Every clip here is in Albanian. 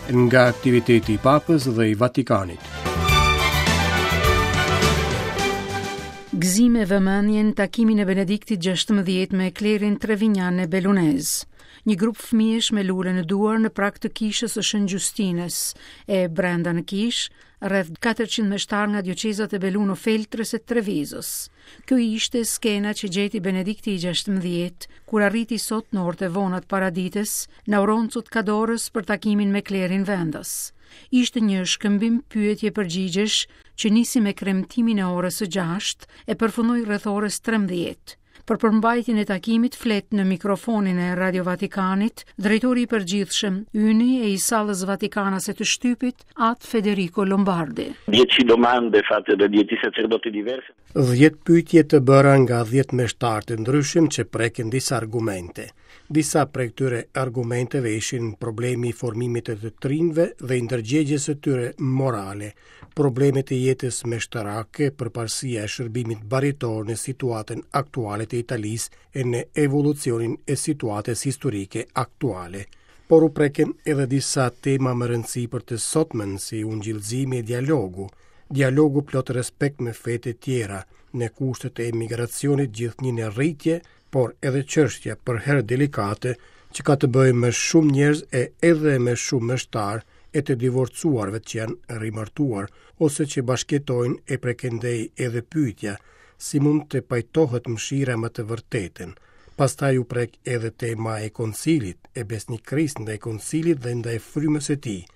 Nga aktiviteti i Papës dhe i Vatikanit. Gëzim e vëmendje në takimin e Benediktit 16 me klerin trevinjan e belunez. Një grup fëmijësh me lule në duar në prag të kishës së Shën Gjustinës e brenda në kishë, rreth 400 meshtarë nga dioqezat e Belluno Feltrës e Trevizos. Kjo ishte skena që gjeti Benedikti i 16, kur arriti sot në orët e vona të paradites, në Auronzo të Cadorës për takimin me klerin vendas. Ishte një shkëmbim pyetje përgjigjesh që nisi me kremtimin e orës së 6 e përfundoi rreth orës 13. Për përmbajtjen e takimit flet në mikrofonin e Radio Vatikanit, drejtori i përgjithshëm, yni e i sallës vatikanase të shtypit, At Federico Lombardi. Dieci domande fatte da dieci sacerdoti diversi. 10 pyetje të bëra nga 10 meshtarë të ndryshëm që preken disa argumente. Disa prej këtyre argumenteve ishin problemi i formimit të të rinjve dhe i ndërgjegjes së tyre morale, problemet e jetës meshtarake, përparësia e shërbimit baritor në situatën aktuale të Italisë e në evolucionin e situatës historike aktuale. Por u preken edhe disa tema me rëndësi për të sotmen, si ungjillëzimi e dialogu, dialogu plot respekt me fetë e tjera, në kushtet e emigracionit gjithnjë në rritje, por edhe çështja përherë delikate që ka të bëjë me shumë njerëz e edhe me shumë meshtarë e të divorcuarve që janë rimartuar ose që bashkëjetojnë e prej këndej edhe pyetja si mund të pajtohet mëshira me të vërtetën. Pastaj u prek edhe tema e koncilit, e besnikërisë ndaj koncilit dhe ndaj frymës së tij,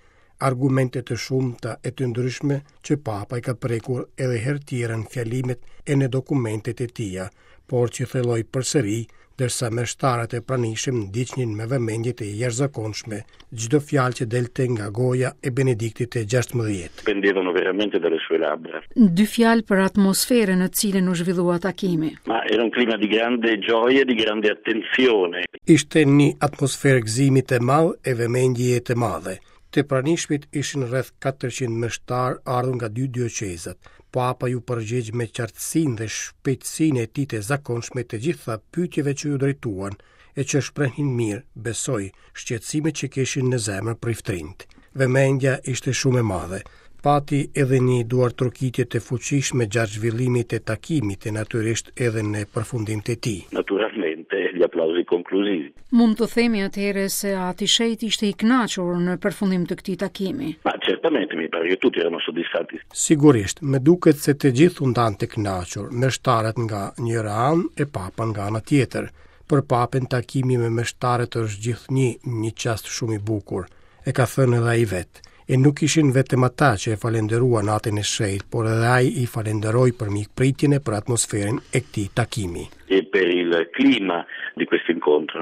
argumente të shumta e të ndryshme që Papa i ka prekur edhe herë tjera në fjalimet e në dokumentet e tija, por që thelloi përsëri, ndërsa meshtarët e pranishëm ndiqnin me vëmendje të jashtëzakonshme çdo fjalë që delte nga goja e Benediktit të 16. Pendevano veramente dalle sue labbra. Dy fjalë për atmosferën në cilën u zhvillua takimi. Ma era un clima di grande gioia, di grande attenzione. Ishte një atmosferë gëzimi të madh e vëmendjeje të madhe. Të pranishmit ishin rreth 400 meshtarë ardhur nga dy dioqezat. Papa iu përgjigj me qartësinë dhe shpejtësinë e tij të zakonshme të gjitha pyetjeve që iu drejtuan e që shprehnin mirë, besoj, shqetësimet që kishin në zemër priftërinjtë. Vëmendja ishte shumë e madhe. Pati edhe një duartrokitje të fuqishme gjatë zhvillimit të takimit e natyrisht edhe në përfundim të tij. Naturalmente gli applausi conclusivi. Mund të themi atëherë se Ati i Shenjtë ishte i kënaqur në përfundim të këtij takimi. Ma certamente mi pare che tutti erano soddisfatti. Sigurisht, më duket se të gjithë u ndanë të kënaqur, meshtarët nga njëra anë e Papa nga ana tjetër. Për Papën takimi me meshtarët është gjithnjë një çast shumë i bukur. E ka thënë edhe ai vetë. E nuk ishin vetëm ata që e falënderuan Atin e Shenjtë, por edhe ai i falënderoi për mikpritjen e për atmosferën e këtij takimi. E per il clima di questo incontro.